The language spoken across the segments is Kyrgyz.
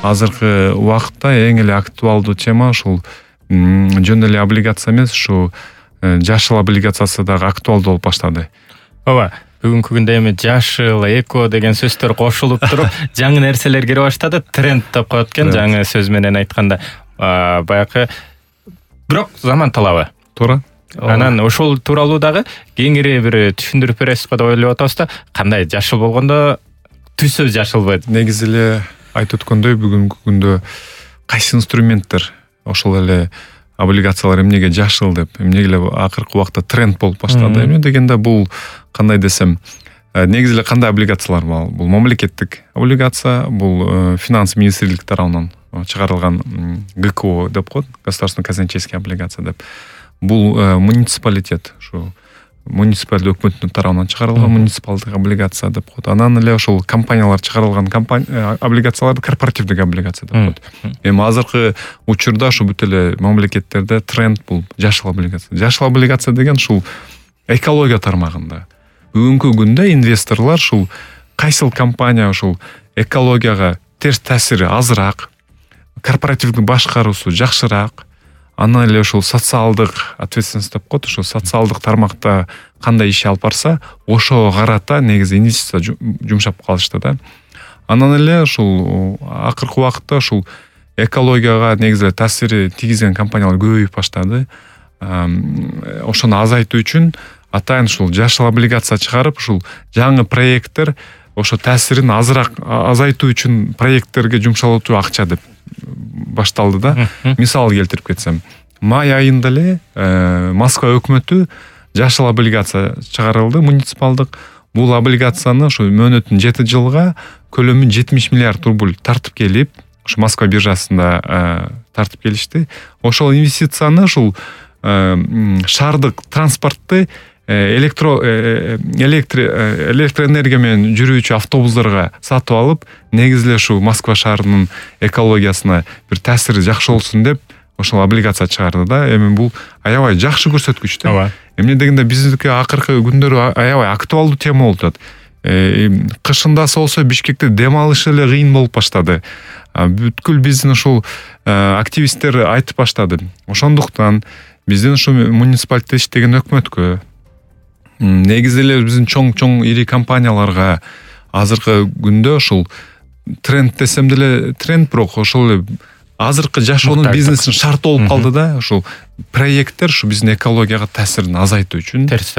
азыркы убакытта эң эле актуалдуу тема ушул жөн эле облигация эмес, ушу жашыл облигациясы дагы актуалдуу болуп баштады. Ооба, бүгүнкү күндө эми жашыл, эко деген сөздөр кошулуп туруп, жаңы нерселер кире баштады, тренд деп коет экен, жаңы сөз менен айтканда. Баягы бирок заман талабы. Туура. Анан ошол тууралуу дагы кеңири бир түшүндүрүп бересизби деп ойлоп атабыз да. Кандай жашыл болгондо түсү жашылбы? Негизи эле айтып өткөндөй, бүгүнкү күндө кайсы инструменттер ошол эле облигациялар эмнеге жашыл деп, эмнеге эле акыркы убакта тренд болуп баштады. Эмне дегенде бул кандай десем, негизи эле кандай облигациялар бар? Бул мамлекеттик облигация, бул финанс министрлик тарабынан чыгарылган ГКО деп коет, государственный казначейский облигация деп. Бул муниципалитет, ушу муниципалдык өкмөттүн тарабынан чыгарылган муниципалдык облигация деп коет. Анан эле ошол компаниялар чыгарылган облигацияларды корпоративдик облигация деп коет. Эми азыркы учурда ушу бүт эле мамлекеттерде тренд бул жашыл облигация. Жашыл облигация деген ушул экология тармагында. Бүгүнкү күндө инвесторлор ушул кайсыл компания ушул экологияга терс таасири азыраак, корпоративдик башкаруусу жакшыраак, анан эле ушул социалдык ответственность деп коет, ушул социалдык тармакта кандай иш алып барса, ошого карата негизи инвестиция жумшап калышты да. Анан эле ушул акыркы убакытта ушул экологияга негизи эле таасири тийгизген компаниялар көбөйүп баштады. Ошону азайтуу үчүн атайын ушул жашыл облигация чыгарып, ушул жаңы проекттер ошо таасирин азайтуу үчүн проекттерге жумшалуу акча деп башталды да. Мисал келтирип кетсем, май айында эле Москва өкмөтү жашыл облигация чыгарылды, муниципалдык. Бул облигацияны ушу мөөнөтүн 7 жылга көлөмү 70 миллиард рубль тартып келип, ушу Москва биржасында тартып келишти. Ошол инвестицияны ушул шаардык транспортты электроэнергия менен жүрүүчү автобустарга сатып алып, негизи эле ушу Москва шаарынын экологиясына бир таасири жакшы болсун деп ошол облигация чыгарды да. Эми бул аябай жакшы көрсөткүч да. Эмне дегенде биздики акыркы күндөрү аябай актуалдуу тема болуп атат. Кышындасы болсо Бишкекте дем алыш эле кыйын болуп баштады. Бүткүл биздин ушул активисттер айтып баштады. Ошондуктан биздин ушу муниципалитетте иштеген өкмөткө, негизи эле биздин чоң ири компанияларга азыркы күндө ушул тренд десем деле тренд, бирок ошол эле азыркы жашоонун бизнесин шарты болуп калды да. Ушул проекттер ушу биздин экологияга таасирин азайтуу үчүн, терс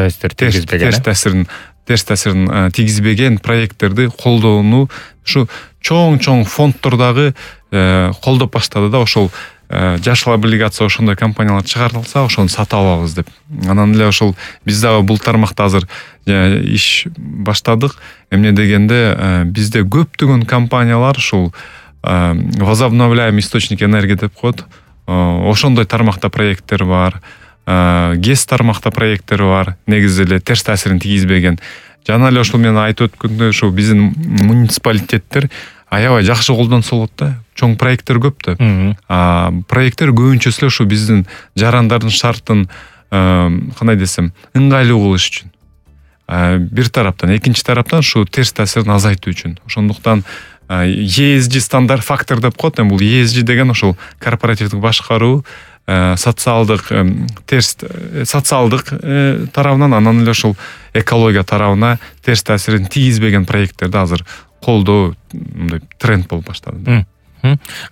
таасирин тийгизбеген проекттерди колдоону ушу чоң фонддор дагы колдоп баштады да. Ошол жашыл облигация ошондой компаниялар чыгарылса, ошону сатып алабыз деп. Анан эле ошол биз дагы бул тармакта азыр иш баштадык. Эмне дегенде бизде көптөгөн компаниялар ушул возобновляемый источник энергии деп коет. Ошондой тармакта проекттер бар. ГЭС тармакта проекттер бар. Негизи эле терс таасирин тийгизбеген. Жана эле ошол менен айтып өткөндөй, ушул биздин муниципалитеттер аябай жакшы колдонсо болот да. Чоң проекттер көп да. Проекттер көбүнчөсү эле ушу биздин жарандардын шартын кандай десем, ыңгайлуу кылыш үчүн. Бир тараптан, экинчи тараптан ушу терс таасирин азайтуу үчүн. Ошондуктан ESG стандарт фактор деп коет. Бул ESG деген ошол корпоративдик башкаруу, социалдык тарабынан, анан эле ошол экология тарабына терс таасирин тийгизбеген проекттерди азыр колдоо мындай тренд болуп баштады.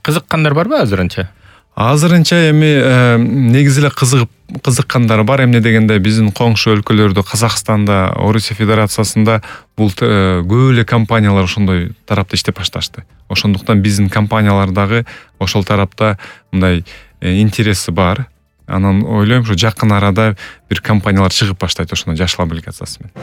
Кызыккандар барбы азырынча? Азырынча эми негизи эле кызыккандар бар. Эмне дегенде биздин коңшу өлкөлөрдө, Казакстанда, Орусия Федерациясында бул көп эле компаниялар ошондой тарапта иштеп башташты. Ошондуктан биздин компаниялар дагы ошол тарапта мындай интереси бар. Анан ойлойм, ушу жакын арада бир компаниялар чыгып баштайт ошондой жашыл облигациясы менен.